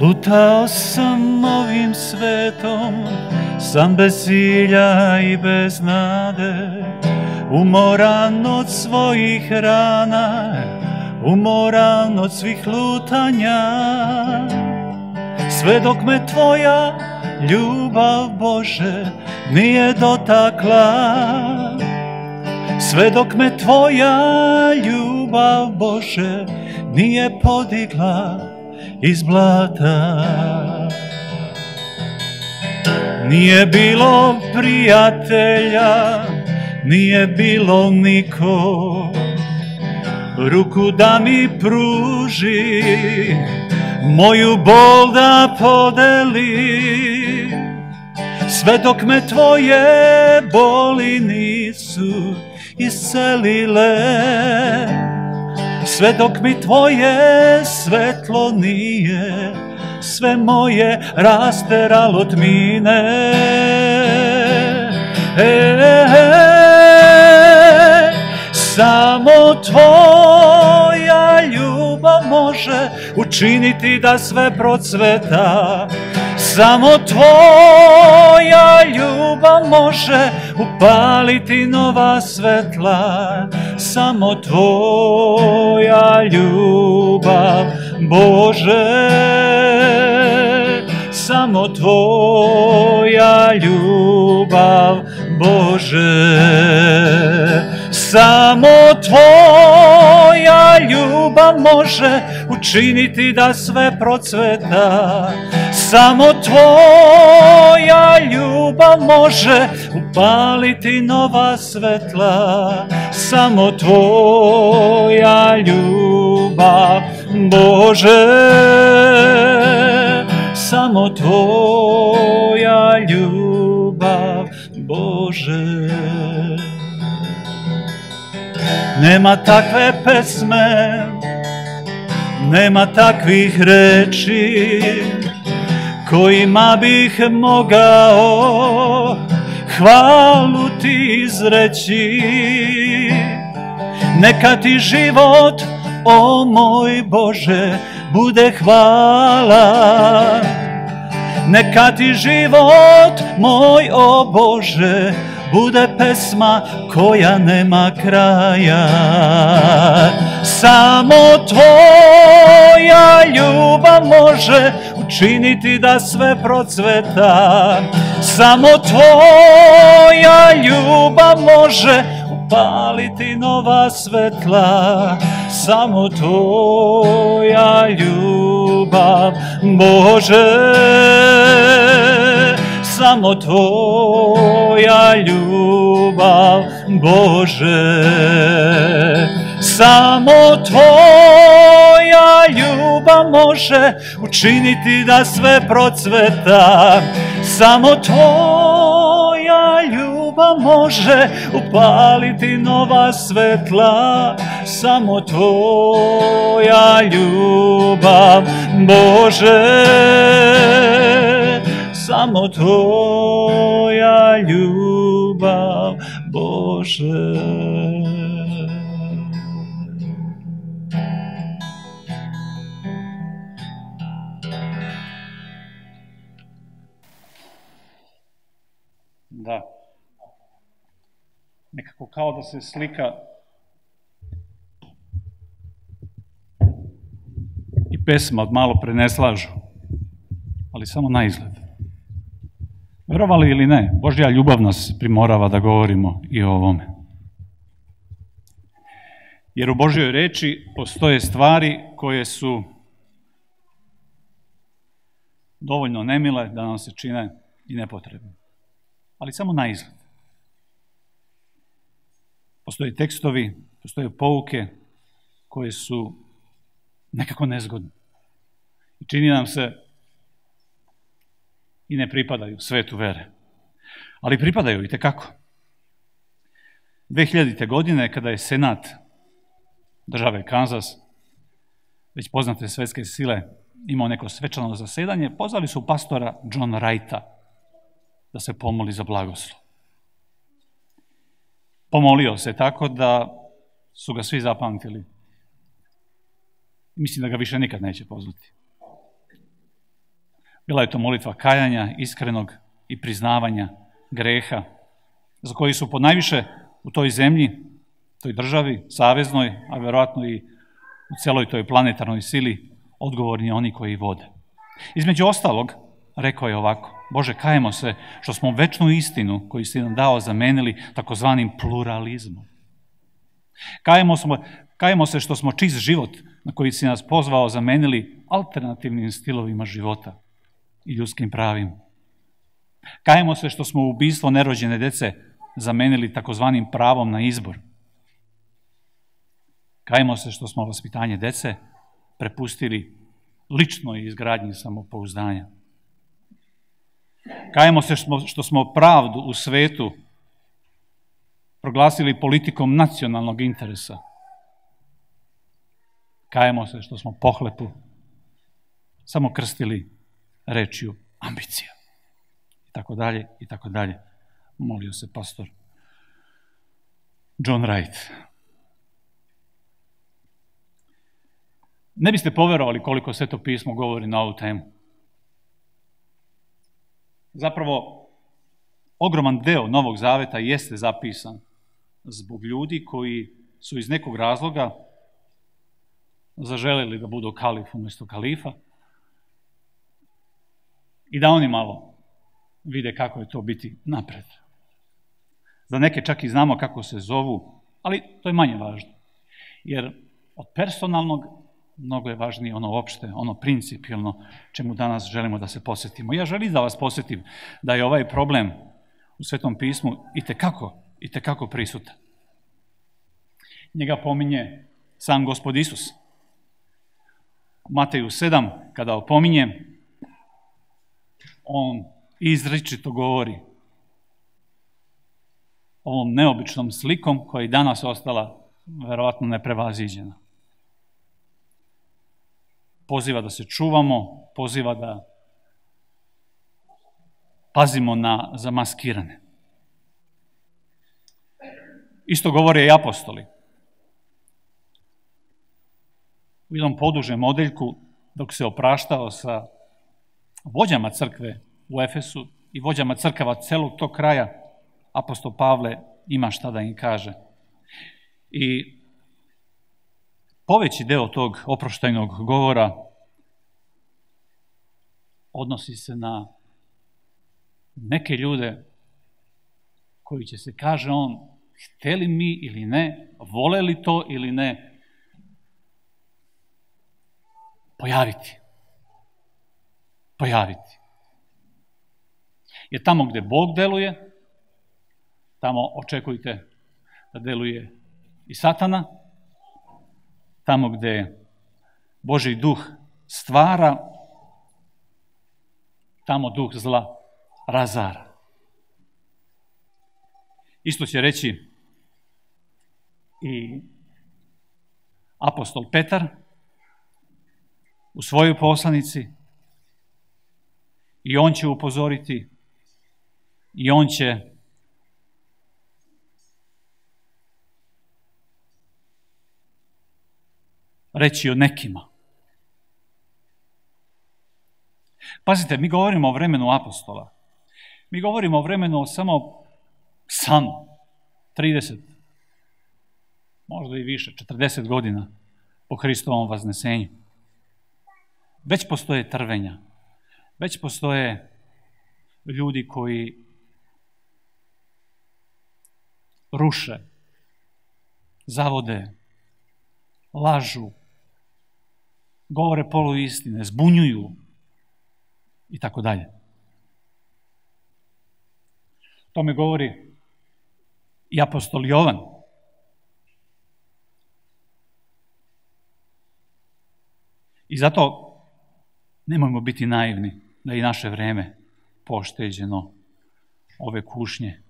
Lutao sam ovim svetom, sam bez cilja i bez nade, umoran od svojih rana, umoran od svih lutanja. Sve dok me tvoja ljubav, Bože, nije dotakla, sve dok me tvoja ljubav, Bože, nije podigla iz blata. Nije bilo prijatelja, nije bilo niko, ruku da mi pruži, moju bol da podeli. Sve dok me tvoje boli nisu iscelile, sve dok mi tvoje svetlo nije sve moje rasteralo tmine. Samo tvoja ljubav može učiniti da sve procveta. Samo tvoja ljubav može upaliti nova svetla. Samo tvoja ljubav, Bože, samo tvoja ljubav, Bože. Samo tvoja ljubav može učiniti da sve procveta. Samo tvoja ljubav može upaliti nova svetla. Samo tvoja ljubav, Bože, samo tvoja ljubav, Bože. Nema takve pesme, nema takvih reči kojima bih mogao hvalu ti izreći. Neka ti život, o moj Bože, bude hvala. Neka ti život moj, o Bože, bude pesma koja nema kraja. Samo tvoja ljubav može učiniti da sve procveta. Samo tvoja ljubav može upaliti nova svetla. Samo tvoja ljubav, Bože, samo tvoja ljubav, Bože. Samo tvoja ljubav može učiniti da sve procveta. Samo tvoja ljubav može upaliti nova svetla. Samo tvoja ljubav, Bože, samo tvoja ljubav, Bože. Da. Nekako kao da se slika i pesma od malo preneslažu, ali samo na izgled. Verovali ili ne, Božja ljubav nas primorava da govorimo i o ovome. Jer u Božjoj reči postoje stvari koje su dovoljno nemile da nam se čine i nepotrebne. Ali samo na izgled. Postoje tekstovi, postoje pouke koje su nekako nezgodne. I čini nam se i ne pripadaju svetu vere. Ali pripadaju itekako. 2000. godine, kada je Senat države Kanzas, već poznate svetske sile, imao neko svečano zasedanje, pozvali su pastora John Wrighta da se pomoli za blagoslov. Pomolio se tako da su ga svi zapamtili. Mislim da ga više nikad neće pozvati. Bila je to molitva kajanja, iskrenog i priznavanja greha, za koji su ponajviše u toj zemlji, toj državi, saveznoj, a vjerojatno i u celoj toj planetarnoj sili, odgovorni oni koji vode. Između ostalog, rekao je ovako: Bože, kajemo se što smo večnu istinu koju si nam dao zamenili takozvanim pluralizmom. Kajemo se što smo čist život na koji si nas pozvao zamenili alternativnim stilovima života i ljudskim pravima. Kajemo se što smo ubistvo nerođene dece zamenili takozvanim pravom na izbor. Kajemo se što smo vaspitanje dece prepustili ličnoj izgradnji samopouzdanja. Kajemo se što smo pravdu u svetu proglasili politikom nacionalnog interesa. Kajemo se što smo pohlepu samo krstili rečju ambicija. I tako dalje, i tako dalje. Molio se pastor John Wright. Ne biste poverovali koliko Sveto pismo govori na ovu temu. Zapravo, ogroman deo Novog Zaveta jeste zapisan zbog ljudi koji su iz nekog razloga zaželeli da budu kalif umjesto kalifa i da oni malo vide kako je to biti napred. Za neke čak i znamo kako se zovu, ali to je manje važno. Jer od personalnog mnogo je važnije ono opšte, ono principijelno čemu danas želimo da se posjetimo. Ja želim da vas posjetim da je ovaj problem u Svetom pismu itekako prisutan. Njega pominje sam Gospod Isus. U Mateju 7, kada opominje, on izričito govori ovom neobičnom slikom koja je danas ostala verovatno neprevaziđena. Poziva da se čuvamo, poziva da pazimo na zamaskirane. Isto govore i apostoli. U jednom podužem odeljku, dok se opraštao sa vođama crkve u Efesu i vođama crkava celog tog kraja, apostol Pavle ima šta da im kaže. I poveći deo tog oproštajnog govora odnosi se na neke ljude koji će se, kaže on, hteli mi ili ne, voleli to ili ne, pojaviti. Jer tamo gde Bog deluje, tamo očekujte da deluje i Satana, tamo gde Božji duh stvara, tamo duh zla razara. Isto će reći i apostol Petar u svojoj poslanici, i on će upozoriti, i on će reći o nekima. Pazite, mi govorimo o vremenu apostola. Mi govorimo o vremenu samo 30, možda i više, 40 godina po Hristovom vaznesenju. Već postoje trvenja, već postoje ljudi koji ruše, zavode, lažu, govore poluistine, zbunjuju i tako dalje. To mi govori i apostol Jovan. I zato nemojmo biti naivni da i naše vreme pošteđeno ove kušnje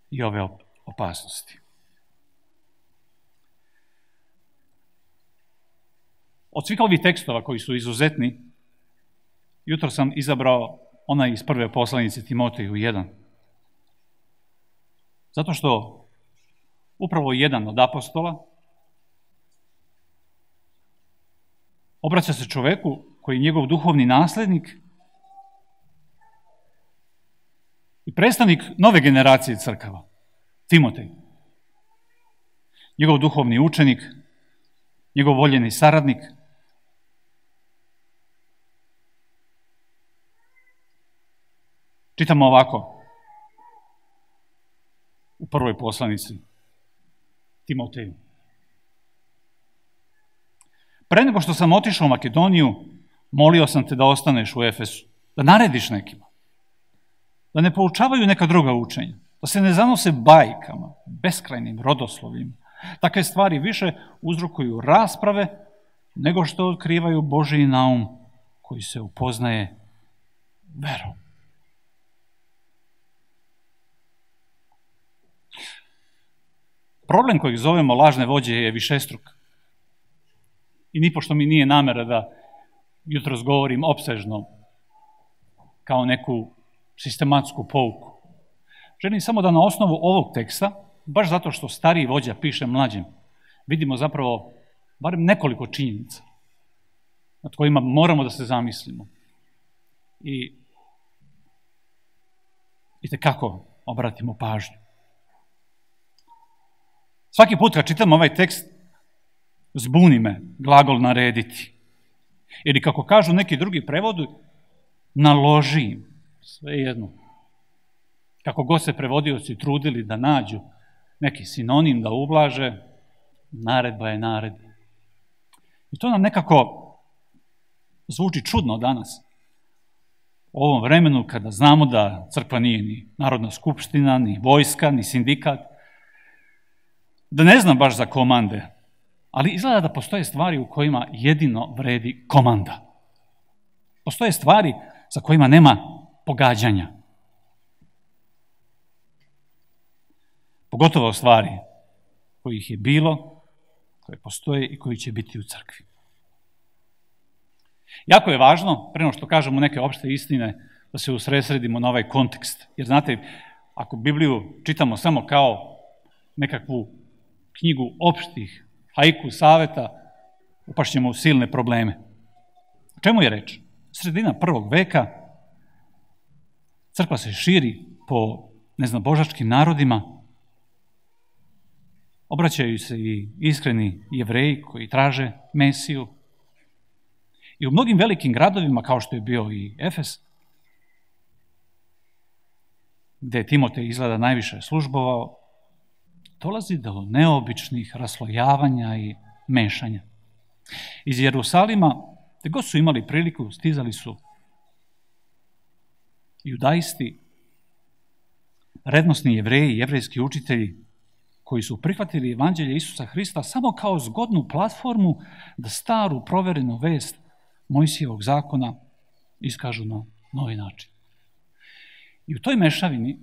i ove opasnosti. Od svih ovih tekstova koji su izuzetni, jutro sam izabrao onaj iz prve poslanice Timoteju 1. Zato što upravo jedan od apostola obraća se čoveku koji je njegov duhovni naslednik i predstavnik nove generacije crkava, Timotej. Njegov duhovni učenik, njegov voljeni saradnik. Čitamo ovako u prvoj poslanici Timoteju. Pre nego što sam otišao u Makedoniju, molio sam te da ostaneš u Efesu, da narediš nekima, da ne poučavaju neka druga učenja, da se ne zanose bajkama, beskrajnim rodoslovima. Takve stvari više uzrokuju rasprave nego što otkrivaju Božji naum koji se upoznaje verom. Problem kojeg zovemo lažne vođe je višestruk. I nipošto mi nije namera da jutros govorim opsežno kao neku sistematsku pouku. Želim samo da na osnovu ovog teksta, baš zato što stariji vođa piše mlađim, vidimo zapravo barem nekoliko činjenica nad kojima moramo da se zamislimo i itekako obratimo pažnju. Svaki put kad čitam ovaj tekst, zbuni me glagol narediti. Ili kako kažu neki drugi prevodi, naloži im, sve jedno. Kako god se prevodioci trudili da nađu neki sinonim da ublaže, naredba je naredba. I to nam nekako zvuči čudno danas. U ovom vremenu kada znamo da crkva nije ni Narodna skupština, ni vojska, ni sindikat, da ne znam baš za komande, ali izgleda da postoje stvari u kojima jedino vredi komanda. Postoje stvari za kojima nema pogađanja. Pogotovo stvari kojih je bilo, koje postoje i koji će biti u crkvi. Jako je važno, pre nego što kažemo neke opšte istine, da se usredsredimo na ovaj kontekst. Jer znate, ako Bibliju čitamo samo kao nekakvu knjigu opštih haiku saveta, upašćemo u silne probleme. O čemu je reč? Sredina 1. veka, crkva se širi po neznabožačkim narodima, obraćaju se i iskreni Jevreji koji traže Mesiju. I u mnogim velikim gradovima, kao što je bio i Efes, gde je Timotej izgleda najviše službovao, dolazi do neobičnih raslojavanja i mešanja. Iz Jerusalima, gde god su imali priliku, stizali su judaisti, rednosni Jevreji, jevrejski učitelji, koji su prihvatili evanđelje Isusa Hrista samo kao zgodnu platformu da staru proverenu vest Mojsijevog zakona iskažu na novi način. I u toj mešavini,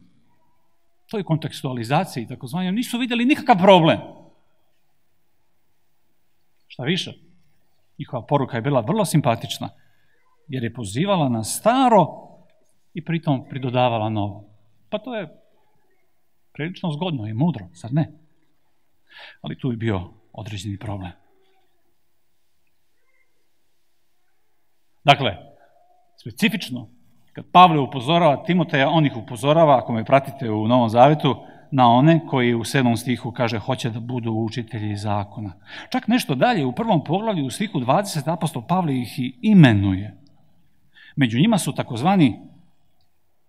toj kontekstualizaciji, takozvanjem, nisu vidjeli nikakav problem. Šta više, njihova poruka je bila vrlo simpatična, jer je pozivala na staro i pritom pridodavala novo. Pa to je prilično zgodno i mudro, sad ne. Ali tu je bio određeni problem. Dakle, specifično, kad Pavle upozorava Timoteja, on ih upozorava, ako me pratite u Novom Zavetu, na one koji u 7. stihu kaže hoće da budu učitelji zakona. Čak nešto dalje, u 1. poglavlju, u stihu 20, apostol Pavle ih i imenuje. Među njima su takozvani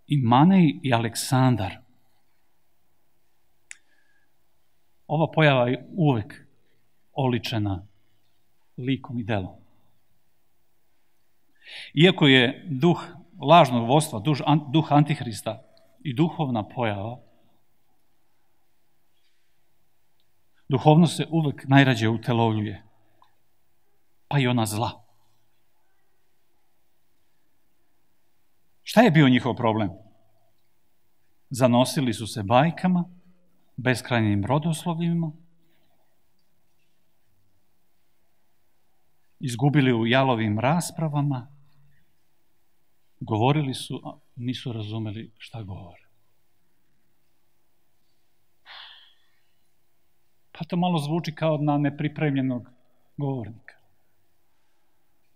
Imanej i Aleksandar. Ova pojava je uvek oličena likom i delom. Iako je duh lažnog vodstva, duh Antihrista i duhovna pojava, duhovnost se uvek najrađe utelovljuje, pa i ona zla. Šta je bio njihov problem? Zanosili su se bajkama, beskrajnim rodoslovima, izgubili u jalovim raspravama, govorili su, a nisu razumeli šta govore. Pa to malo zvuči kao na nepripremljenog govornika.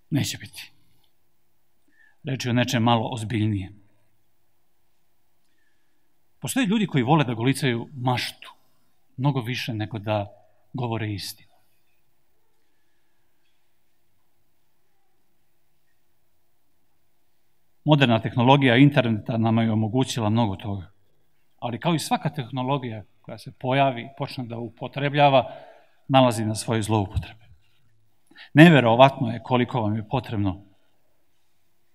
Neće biti. Reč je o nečem malo ozbiljnije. Postoje ljudi koji vole da golicaju maštu, mnogo više nego da govore istinu. Moderna tehnologija interneta nama je omogućila mnogo toga. Ali kao i svaka tehnologija koja se pojavi, počne da upotrebljava, nalazi na svoje zloupotrebe. Neverovatno je koliko vam je potrebno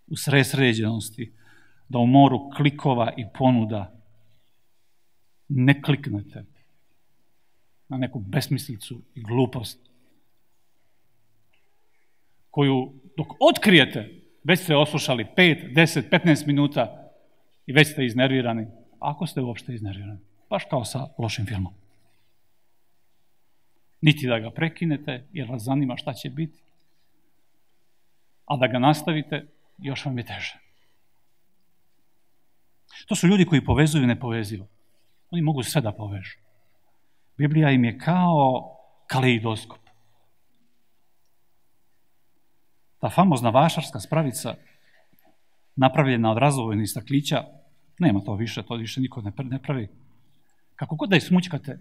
u sređenosti da u moru klikova i ponuda ne kliknete na neku besmislicu i glupost koju dok otkrijete već ste oslušali 5, 10, 15 minuta i već ste iznervirani, ako ste uopšte iznervirani, baš kao sa lošim filmom. Niti da ga prekinete jer vas zanima šta će biti, a da ga nastavite još vam je teže. To su ljudi koji povezuju nepovezivo. Oni mogu sve da povežu. Biblija im je kao kaleidoskop. Ta famozna vašarska spravica, napravljena od razvojnih staklića, nema to više niko ne pravi. Kako god da je smućkate,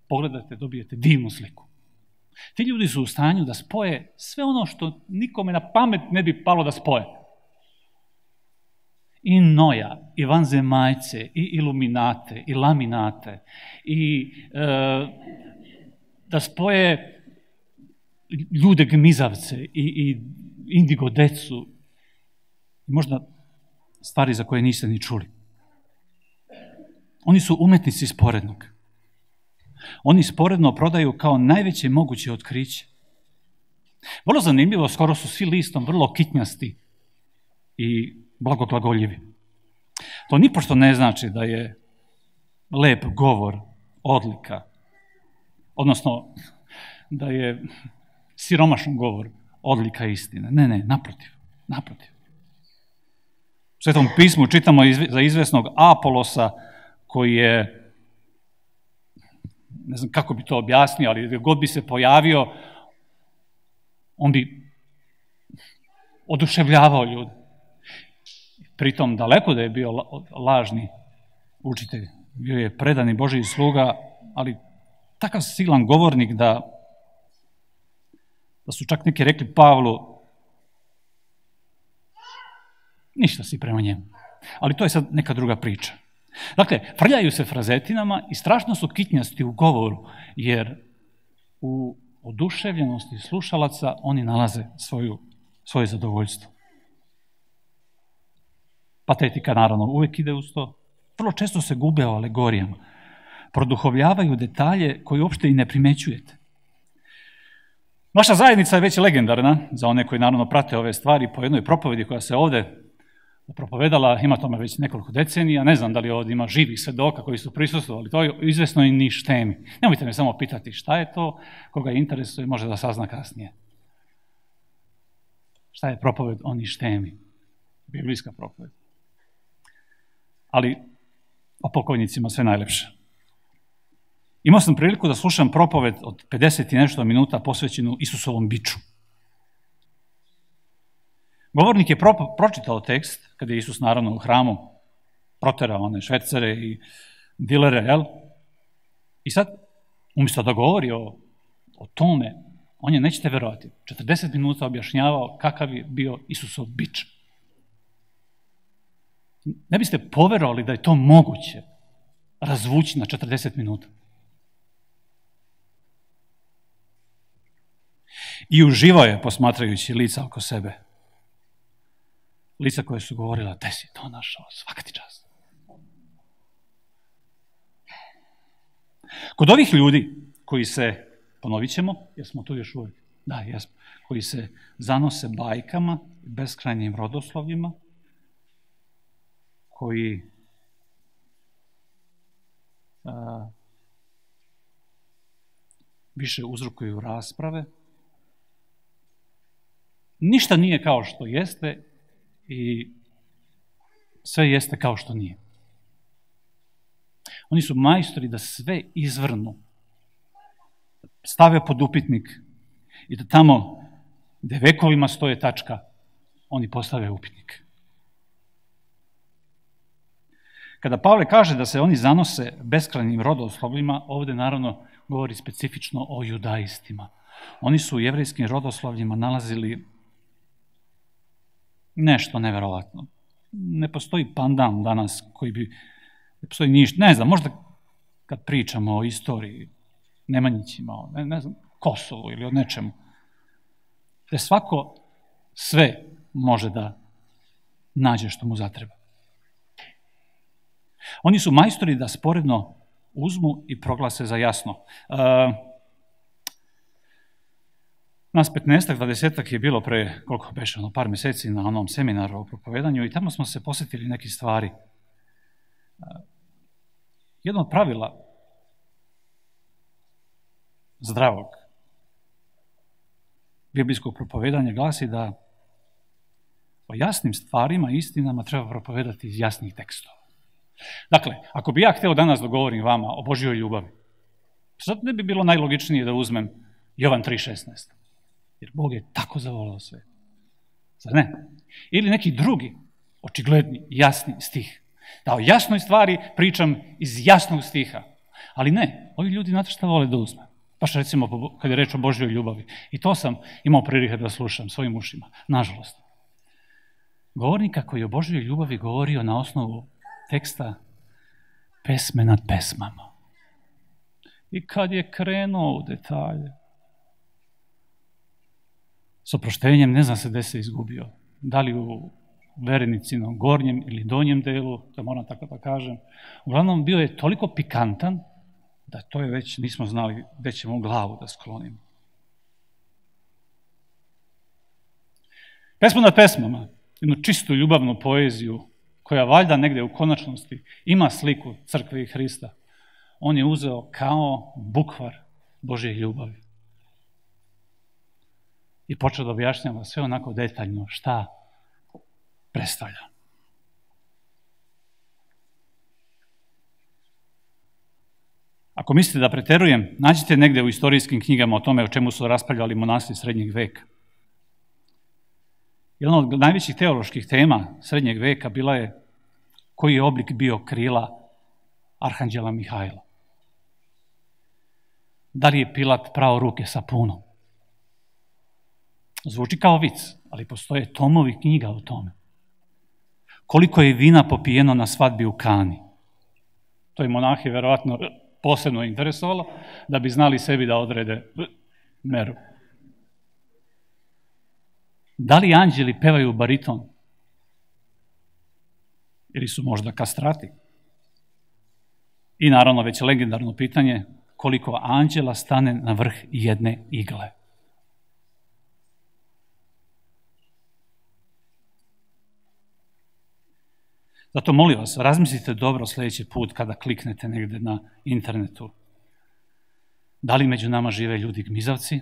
pogledate, dobijete divnu sliku. Ti ljudi su u stanju da spoje sve ono što nikome na pamet ne bi palo da spoje. I Noja, i vanzemaljce, i iluminate, i laminate, i da spoje ljude gmizavce i indigo decu, možda stvari za koje niste ni čuli. Oni su umetnici sporednog. Oni sporedno prodaju kao najveće moguće otkriće. Vrlo zanimljivo, skoro su svi listom vrlo kitnjasti i blagoglagoljivi. To nipošto ne znači da je lep govor odlika, odnosno da je siromašan govor odlika istine. Ne, naprotiv. U Svetom pismu čitamo za izvesnog Apolosa koji je, ne znam kako bi to objasnio, ali gdje god bi se pojavio, on bi oduševljavao ljude. Pritom daleko da je bio lažni učitelj, bio je predani Božji sluga, ali takav silan govornik da su čak neki rekli Pavlu, ništa si prema njemu. Ali to je sad neka druga priča. Dakle, frljaju se frazetinama i strašno su kitnjasti u govoru, jer u oduševljenosti slušalaca oni nalaze svoje zadovoljstvo. Patetika naravno uvek ide uz to. Vrlo često se gube o alegorijama. Produhovljavaju detalje koje uopšte i ne primećujete. Naša zajednica je već legendarna, za one koji naravno prate ove stvari, po jednoj propovedi koja se ovde propovedala, ima tome već nekoliko decenija, ne znam da li ovdje ima živih svedoka koji su prisustvovali, to je izvesno i ništemi. Nemojte me samo pitati šta je to, koga interesuje, može da sazna kasnije. Šta je propoved o ništemi? Biblijska propoved. Ali o pokojnicima sve najlepše. Imao sam priliku da slušam propoved od 50 i nešto minuta posvećenu Isusovom biču. Govornik je pročitao tekst, kada je Isus naravno u hramu proterao one švercere i dilere, jel? I sad, umjesto da govori o tome, on je, nećete verovati, 40 minuta objašnjavao kakav je bio Isusov bič. Ne biste poverovali da je to moguće razvući na 40 minuta. I uživao je posmatrajući lica oko sebe. Lica koje su govorila, te si to našao, svaka ti čast. Kod ovih ljudi koji se, ponovit ćemo, jer smo tu još uvijek, da, jesmo, koji se zanose bajkama, beskrajnim rodoslovljima, koji više uzrokuju rasprave, ništa nije kao što jeste i sve jeste kao što nije. Oni su majstori da sve izvrnu, stave pod upitnik i da tamo gde vekovima stoje tačka, oni postave upitnik. Kada Pavle kaže da se oni zanose beskrajnim rodoslovljima, ovdje naravno govori specifično o judaistima. Oni su u jevrejskim rodoslovljima nalazili nešto neverovatno. Ne postoji pandan danas koji bi, ne postoji ništa, ne znam, možda kad pričamo o istoriji, Nemanjićima, ne znam, Kosovu ili o nečemu, da svako sve može da nađe što mu zatreba. Oni su majstori da sporedno uzmu i proglase za jasno. Nas 15-ak, 20-ak je bilo pre, koliko beše, par mjeseci na onom seminaru o propovedanju i tamo smo se posjetili neke stvari. Jedno od pravila zdravog biblijskog propovedanja glasi da o jasnim stvarima i istinama treba propovedati iz jasnih tekstova. Dakle, ako bi ja htio danas da govorim vama o Božjoj ljubavi, sad ne bi bilo najlogičnije da uzmem Jovan 3.16. Jer Bog je tako zavoleo sve. Zar ne? Ili neki drugi, očigledni, jasni stih. Da o jasnoj stvari pričam iz jasnog stiha. Ali ne, ovi ljudi znate šta vole da uzme. Baš recimo kad je reč o Božjoj ljubavi. I to sam imao prilike da slušam svojim ušima. Nažalost. Govornika koji je o Božjoj ljubavi govorio na osnovu teksta pesme nad pesmama. I kad je krenuo u detalje, s oproštenjem ne zna se gde se izgubio. Da li u verenicinom gornjem ili donjem delu, to moram tako da kažem. Uglavnom bio je toliko pikantan da to je već nismo znali gde ćemo glavu da sklonimo. Pesma nad pesmama, jednu čistu ljubavnu poeziju koja valjda negde u konačnosti ima sliku crkve i Hrista, on je uzeo kao bukvar Božje ljubavi. I počeo da objašnjava sve onako detaljno šta predstavlja. Ako mislite da preterujem, nađite negde u istorijskim knjigama o tome o čemu su raspravljali monasi srednjeg veka. Jedna od najvećih teoloških tema srednjeg veka bila je koji je oblik bio krila arhanđela Mihajla. Da li je Pilat prao ruke sa punom? Zvuči kao vic, ali postoje tomovi knjiga o tome. Koliko je vina popijeno na svadbi u Kani? To je monahe verovatno posebno interesovalo, da bi znali sebi da odrede meru. Da li anđeli pevaju bariton? Ili su možda kastrati? I naravno već legendarno pitanje, koliko anđela stane na vrh jedne igle? Zato molim vas, razmislite dobro sljedeći put kada kliknete negde na internetu. Da li među nama žive ljudi gmizavci?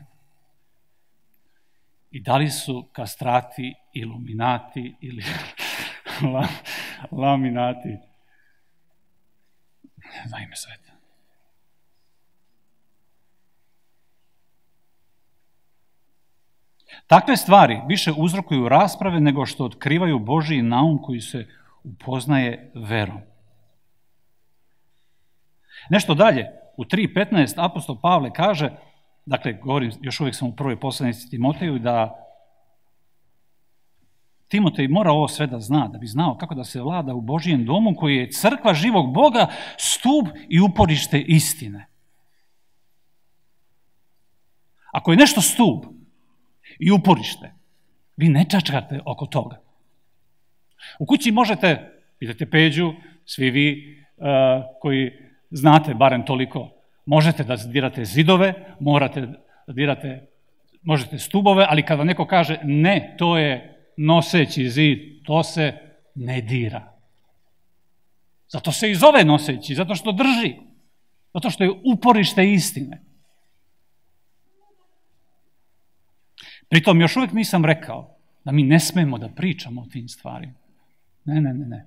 I da li su kastrati, iluminati ili laminati? Daj me sveta. Takve stvari više uzrokuju rasprave nego što otkrivaju Božji naum koji se upoznaje verom. Nešto dalje, u 3.15 apostol Pavle kaže, dakle, govorim, još uvijek sam u prvoj poslanici Timoteju, da Timotej mora ovo sve da zna, da bi znao kako da se vlada u Božijem domu koji je crkva živog Boga, stup i uporište istine. Ako je nešto stup i uporište, vi ne čačkate oko toga. U kući možete, pitajte Peđu, svi vi koji znate barem toliko, možete da dirate zidove, morate da dirate, možete stubove, ali kada neko kaže ne, to je noseći zid, to se ne dira. Zato se i zove noseći, zato što drži, zato što je uporište istine. Pritom još uvijek nisam rekao da mi ne smemo da pričamo o tim stvarima. Ne.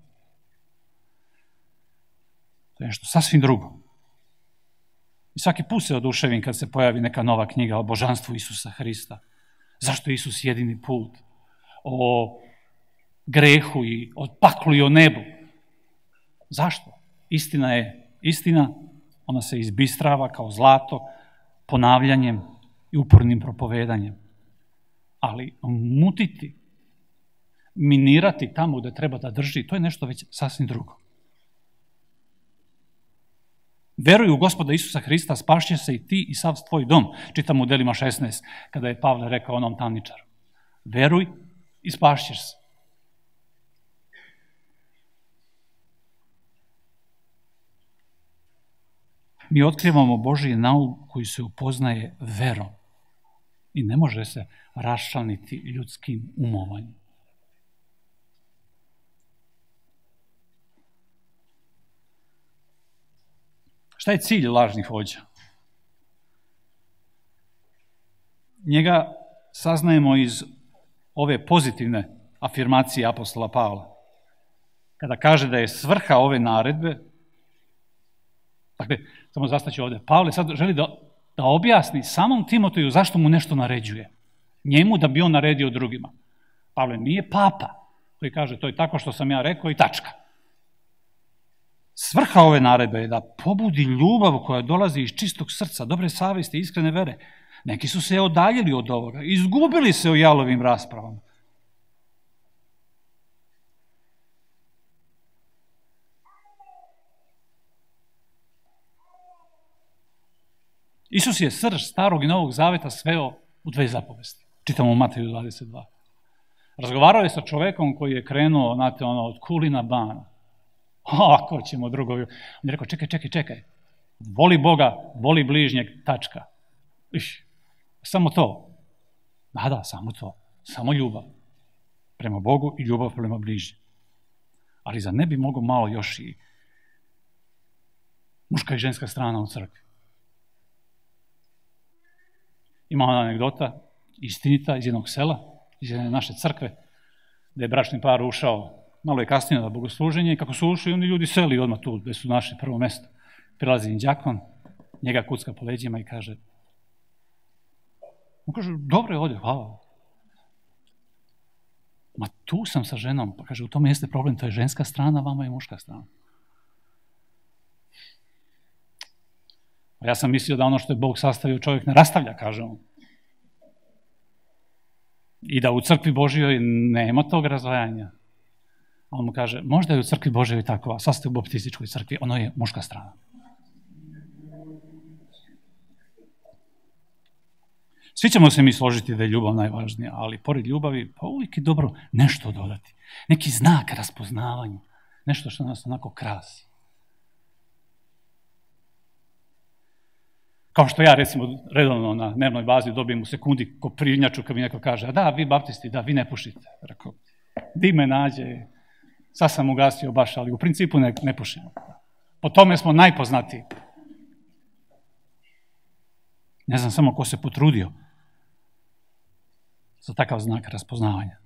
To je nešto sasvim drugo. I svaki put se oduševim kad se pojavi neka nova knjiga o božanstvu Isusa Hrista. Zašto je Isus jedini put? O grehu i o paklu i o nebu. Zašto? Istina je istina, ona se izbistrava kao zlato, ponavljanjem i upornim propovedanjem. Ali mutiti, minirati tamo gde treba da drži, to je nešto već sasvim drugo. Veruj u Gospoda Isusa Hrista, spašće se i ti i sav tvoj dom. Čitamo u Delima 16, kada je Pavle rekao onom tamničaru. Veruj i spašćeš se. Mi otkrivamo Božji nauk koji se upoznaje verom i ne može se raščlaniti ljudskim umovanjem. Šta je cilj lažnih vođa? Njega saznajemo iz ove pozitivne afirmacije apostola Pavla. Kada kaže da je svrha ove naredbe, dakle, samo zastaću ovde, Pavle sad želi da objasni samom Timoteju zašto mu nešto naređuje. Njemu da bi on naredio drugima. Pavle nije papa koji kaže to je tako što sam ja rekao i tačka. Svrha ove naredbe je da pobudi ljubav koja dolazi iz čistog srca, dobre savesti, iskrene vere. Neki su se odaljili od ovoga, izgubili se u jalovim raspravama. Isus je srž starog i novog zaveta sveo u 2 zapovesti. Čitamo u Mateju 22. Razgovarao je sa čovekom koji je krenuo, znate, od Kulina Bana. Ako ćemo drugo. On je rekao, čekaj. Voli Boga, voli bližnjeg, tačka. Samo to. Da, samo to. Samo ljubav prema Bogu i ljubav prema bližnjem. Ali za ne bi mogao malo još i muška i ženska strana u crkvi. Ima ona anegdota, istinita, iz jednog sela, iz jedne naše crkve, da je bračni par ušao, malo je kasnije na bogosluženje, i kako su ušli, oni ljudi seli odmah tu, gde su našli prvo mesto. Prilazi im đakon, njega kucka po leđima i kaže, on kaže, dobro je ovdje, hvala. Ma tu sam sa ženom, pa kaže, u tome jeste problem, to je ženska strana, vama je muška strana. Ja sam mislio da ono što je Bog sastavio čovjek ne rastavlja, kaže on. I da u crkvi Božjoj nema tog razdvajanja. A on mu kaže, možda je u crkvi Božjoj tako, a sad ste u baptističkoj crkvi, ono je muška strana. Svi ćemo se mi složiti da je ljubav najvažnija, ali pored ljubavi, pa uvijek je dobro nešto dodati. Neki znak raspoznavanja, nešto što nas onako krasi. Kao što ja, recimo, redovno na dnevnoj bazi dobijem u sekundi koprinjaču kad mi neko kaže, a da, vi baptisti, da, vi ne pušite. Rekao, di me nađe, sad sam ugasio baš, ali u principu ne pušimo. Po tome smo najpoznatiji. Ne znam samo ko se potrudio za takav znak raspoznavanja.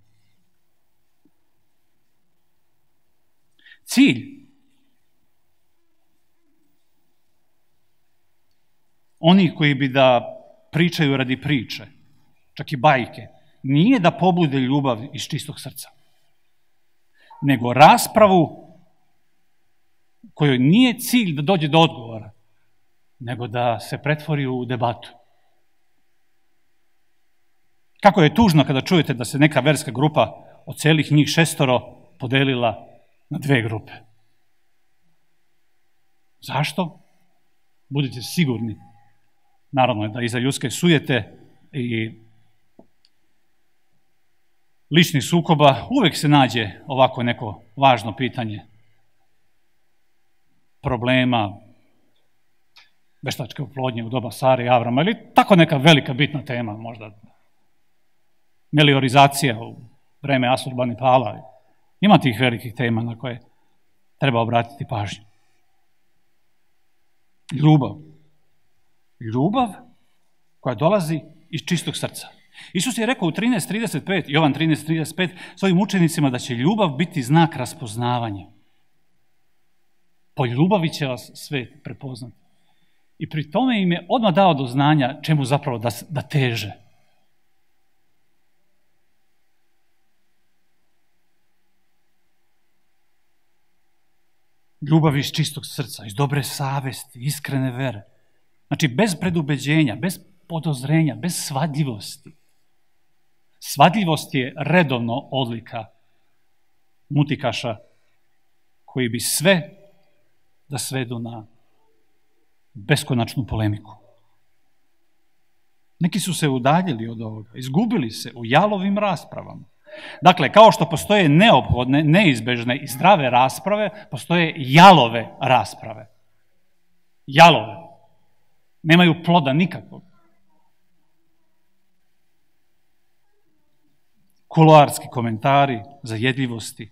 Cilj onih koji bi da pričaju radi priče, čak i bajke, nije da pobude ljubav iz čistog srca, nego raspravu kojoj nije cilj da dođe do odgovora, nego da se pretvori u debatu. Kako je tužno kada čujete da se neka verska grupa od celih njih 6 podelila na 2 grupe. Zašto? Budite sigurni. Naravno je da iza ljudske sujete i ličnih sukoba uvek se nađe ovako neko važno pitanje problema veštačke oplodnje u doba Sare i Avrama ili tako neka velika bitna tema, možda meliorizacija u vreme Asurbanipala. Ima tih velikih tema na koje treba obratiti pažnju. Ljubav koja dolazi iz čistog srca. Isus je rekao u 13:35, Jovan 13:35, svojim učenicima da će ljubav biti znak raspoznavanja. Po ljubavi će vas svet prepoznati. I pri tome im je odmah dao do znanja čemu zapravo da teže. ljubavi iz čistog srca, iz dobre savesti, iskrene vere. Znači, bez predubeđenja, bez podozrenja, bez svadljivosti. Svadljivost je redovno odlika mutikaša koji bi sve da svedu na beskonačnu polemiku. Neki su se udaljili od ovoga, izgubili se u jalovim raspravama. Dakle, kao što postoje neophodne, neizbežne i zdrave rasprave, postoje jalove rasprave. Jalove. Nemaju ploda nikakvog. Kuloarski komentari, zajedljivosti.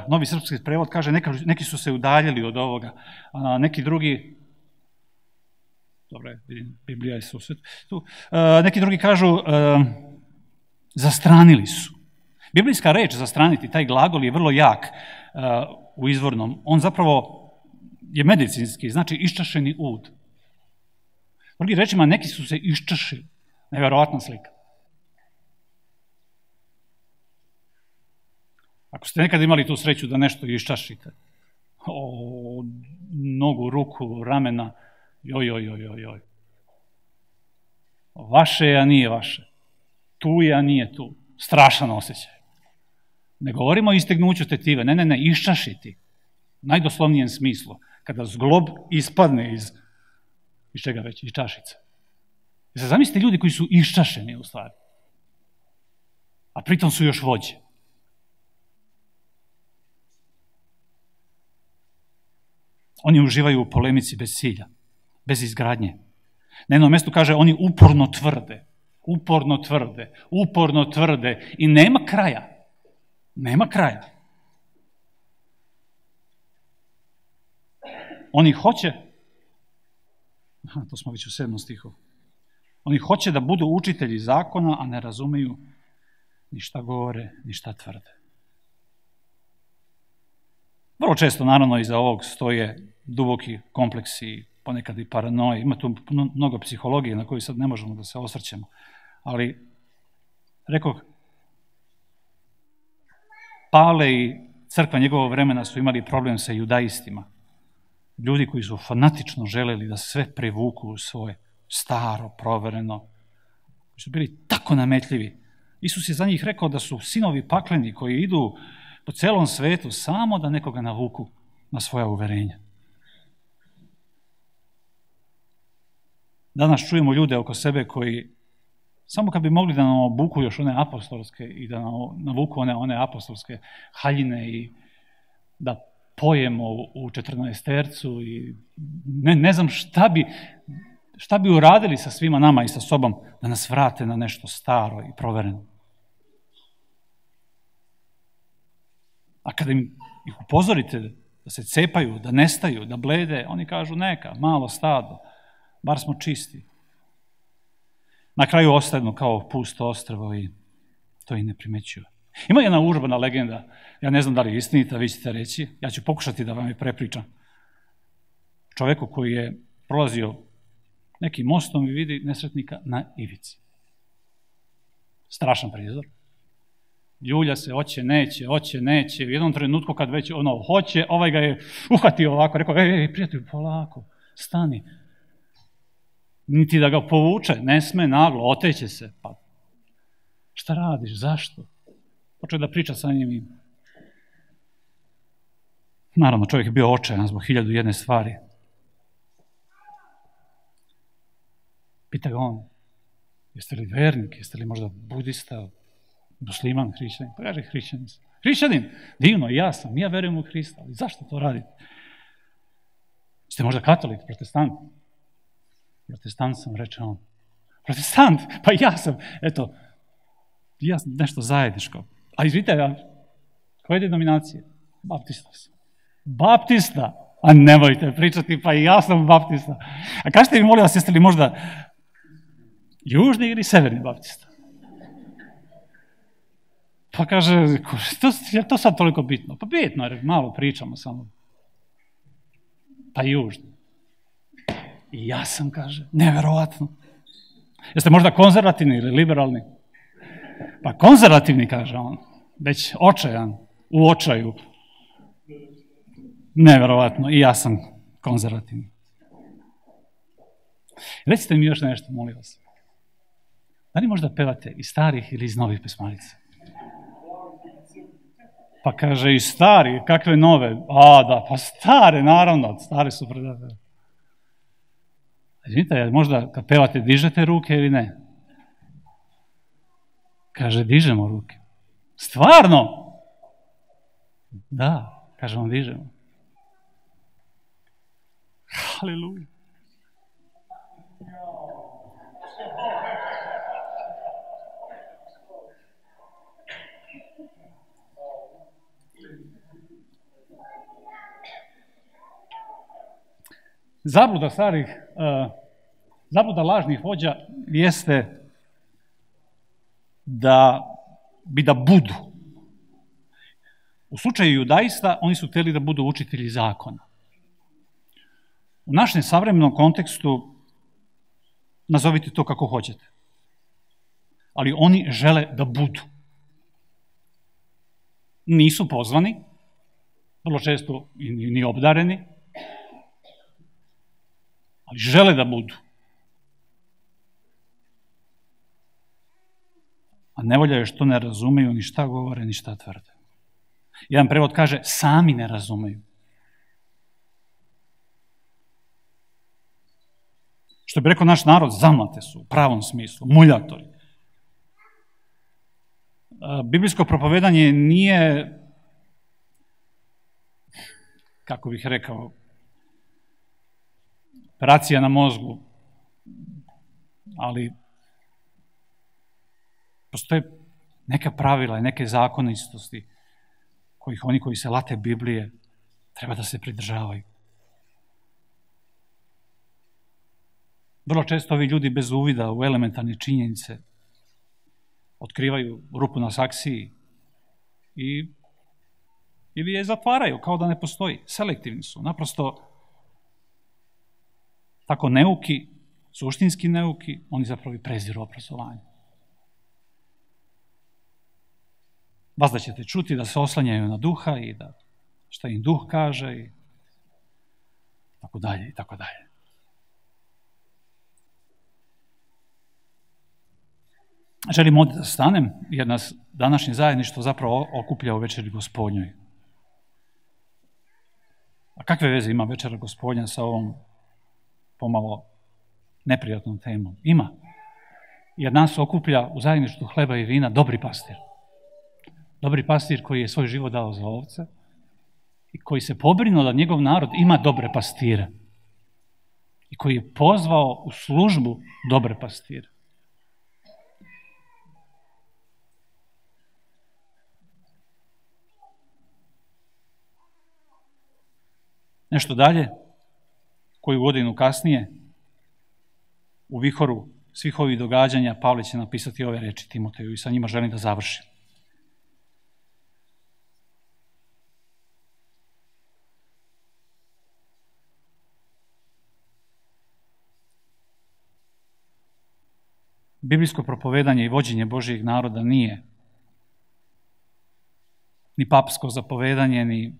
Novi srpski prevod kaže neki su se udaljili od ovoga, a neki drugi, dobro, vidim, Biblija je susret tu, neki drugi kažu zastranili su. Biblijska reč zastraniti, taj glagol je vrlo jak u izvornom. On zapravo je medicinski, znači iščašeni ud. Drugim rečima, neki su se iščašili. Neverovatna slika. Ako ste nekad imali tu sreću da nešto iščašite, nogu, ruku, ramena, joj. Vaše je, a nije vaše. Tu je, a nije tu. Strašan osjećaj. Ne govorimo o istegnuću tetive, ne, iščašiti. U najdoslovnijem smislu. Kada zglob ispadne iz čega već, iz čašice. Zamislite ljudi koji su iščašeni u stvari. A pritom su još vođe. Oni uživaju u polemici bez cilja, bez izgradnje. Na jednom mjestu kaže, oni uporno tvrde i nema kraja. Nema kraja. Oni hoće, to smo već u 7. stihu, oni hoće da budu učitelji zakona, a ne razumeju ni šta govore, ni šta tvrde. Vrlo često, naravno, iza ovog stoje duboki kompleksi, ponekad i paranoje. Ima tu mnogo psihologije na koju sad ne možemo da se osvrćemo. Ali, rekoh, Pavle i crkva njegovog vremena su imali problem sa judaistima. Ljudi koji su fanatično želeli da sve prevuku u svoje staro, provereno, koji su bili tako nametljivi. Isus je za njih rekao da su sinovi pakleni koji idu po celom svetu samo da nekoga navuku na svoja uverenja. Danas čujemo ljude oko sebe koji samo kad bi mogli da nam obuku još one apostolske i da nam navuku one apostolske haljine i da pojemo u 14-tercu i ne znam šta bi uradili sa svima nama i sa sobom da nas vrate na nešto staro i provereno. A kada ih upozorite da se cepaju, da nestaju, da blede, oni kažu neka, malo stado, bar smo čisti. Na kraju ostanu kao pusto ostrvo i to i ne primećuju. Ima jedna urbana legenda, ja ne znam da li je istinita, vi ćete reći, ja ću pokušati da vam je prepričam. Čoveku koji je prolazio nekim mostom i vidi nesretnika na ivici. Strašan prizor. Ljulja se, hoće, neće. U jednom trenutku kad već hoće, ovaj ga je uhvatio ovako, rekao, prijatelju, polako, stani. Niti da ga povuče, ne sme naglo, oteće se. Pa, šta radiš, zašto? Počeo da priča sa njim i... Naravno, čovjek je bio očajan zbog 1001 stvari. Pita ga on, jeste li vernik, jeste li možda budista, musliman, hrišćanin? Pa kaže, hrišćanin sam. Hrišćanin? Divno, ja sam, ja verujem u Hrista, ali zašto to radite? Ste možda katolik, protestant? Protestant sam, reče on. Protestant? Pa ja sam, eto, ja sam nešto zajedničko. A izvite, koje denominacije? Baptista sam. Baptista? A nemojte pričati, pa i ja sam baptista. A kažete mi, molim vas, jeste li možda južni ili severni baptista? Pa kaže, je to sad toliko bitno? Pa bitno, jer malo pričamo samo. Pa južni. I ja sam, kaže, neverovatno. Jeste možda konzervativni ili liberalni? Pa konzervativni, kaže on, već očajan. u očaju. Neverovatno, i ja sam konzervativni. Recite mi još nešto, molim vas. Da li možda pevate iz starih ili iz novih pesmarica? Pa kaže, i stari, kakve nove? A, da, pa stare, naravno, stare su predate. Vidite, možda kad pevate dižete ruke ili ne? Kaže, dižemo ruke. Stvarno? Da, kažemo, dižemo. Haleluja. Zabluda lažnih vođa jeste da budu. U slučaju judaista oni su htjeli da budu učitelji zakona. U našem savremenom kontekstu nazovite to kako hoćete. Ali oni žele da budu. Nisu pozvani, vrlo često ni obdareni, ali žele da budu. A nevolja je što ne razumeju ni šta govore, ni šta tvrde. Jedan prevod kaže, sami ne razumeju. Što bi rekao naš narod, zamlate su, u pravom smislu, muljatori. Biblijsko propovedanje nije, kako bih rekao, operacija na mozgu, ali postoje neka pravila i neke zakonitosti kojih oni koji se late Biblije treba da se pridržavaju. Vrlo često ovi ljudi bez uvida u elementarne činjenice otkrivaju rupu na saksiji ili je zatvaraju kao da ne postoji. Selektivni su, naprosto tako neuki, suštinski neuki, oni zapravo i preziru obrazovanje. Vas da ćete čuti da se oslanjaju na duha i da šta im duh kaže i tako dalje i tako dalje. Želim ovdje da stanem, jer nas današnje zajedništvo zapravo okuplja u večeri Gospodnjoj. A kakve veze ima večera Gospodnja sa ovom pomalo neprijatnom temom? Ima. Jer nas okuplja u zajedništvu hleba i vina dobri pastir. Dobri pastir koji je svoj život dao za ovce i koji se pobrinuo da njegov narod ima dobre pastire i koji je pozvao u službu dobre pastire. Nešto dalje, koju godinu kasnije, u vihoru svih ovih događanja, Pavle će napisati ove reči Timoteju i sa njima želim da završim. Biblijsko propovedanje i vođenje Božijeg naroda nije ni papsko zapovedanje, ni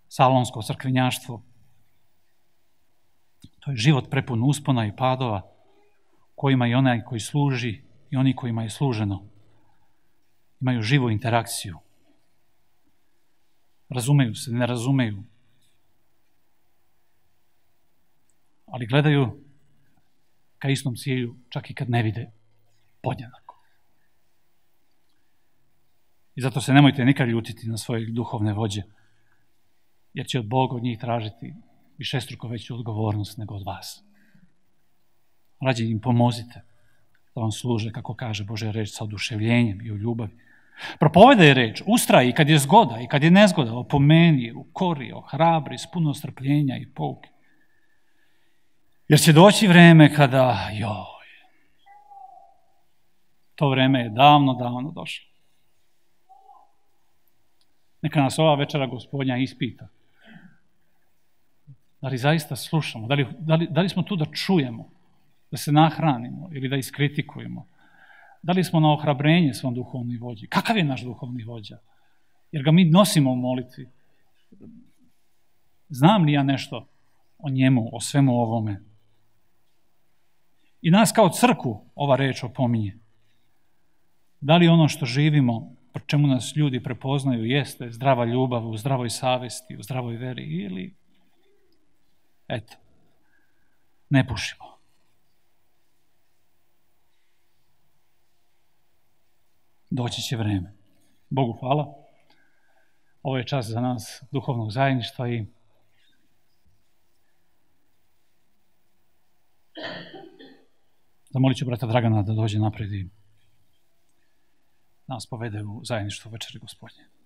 salonsko crkvenjaštvo. To je život prepun uspona i padova, kojima i onaj koji služi i oni kojima je služeno imaju živu interakciju. Razumeju se, ne razumeju, ali gledaju ka istom cilju, čak i kad ne vide podjednako. I zato se nemojte nikad ljutiti na svoje duhovne vođe, jer će od Boga od njih tražiti višestruko veću odgovornost nego od vas. Rađe im pomozite da vam služe, kako kaže Božja reč, sa oduševljenjem i u ljubavi. Propovedaj reč, ustraj i kad je zgoda i kad je nezgoda, opomeni, ukori, ohrabri, s puno strpljenja i pouke. Jer će doći vreme kada, to vreme je davno, davno došlo. Neka nas ova večera Gospodnja ispita. Da li zaista slušamo? Da li smo tu da čujemo, da se nahranimo ili da iskritikujemo? Da li smo na ohrabrenje svom duhovnom vođi? Kakav je naš duhovni vođa? Jer ga mi nosimo u molitvi. Znam li ja nešto o njemu, o svemu ovome? I nas kao crkvu ova reč opominje. Da li ono što živimo, po čemu nas ljudi prepoznaju, jeste zdrava ljubav u zdravoj savesti, u zdravoj veri, ili eto, ne pušimo. Doći će vreme. Bogu hvala. Ovo je čas za nas duhovnog zajedništva i zamolit ću brata Dragana da dođe napred i nas povede u zajedništvo večeri Gospodnje.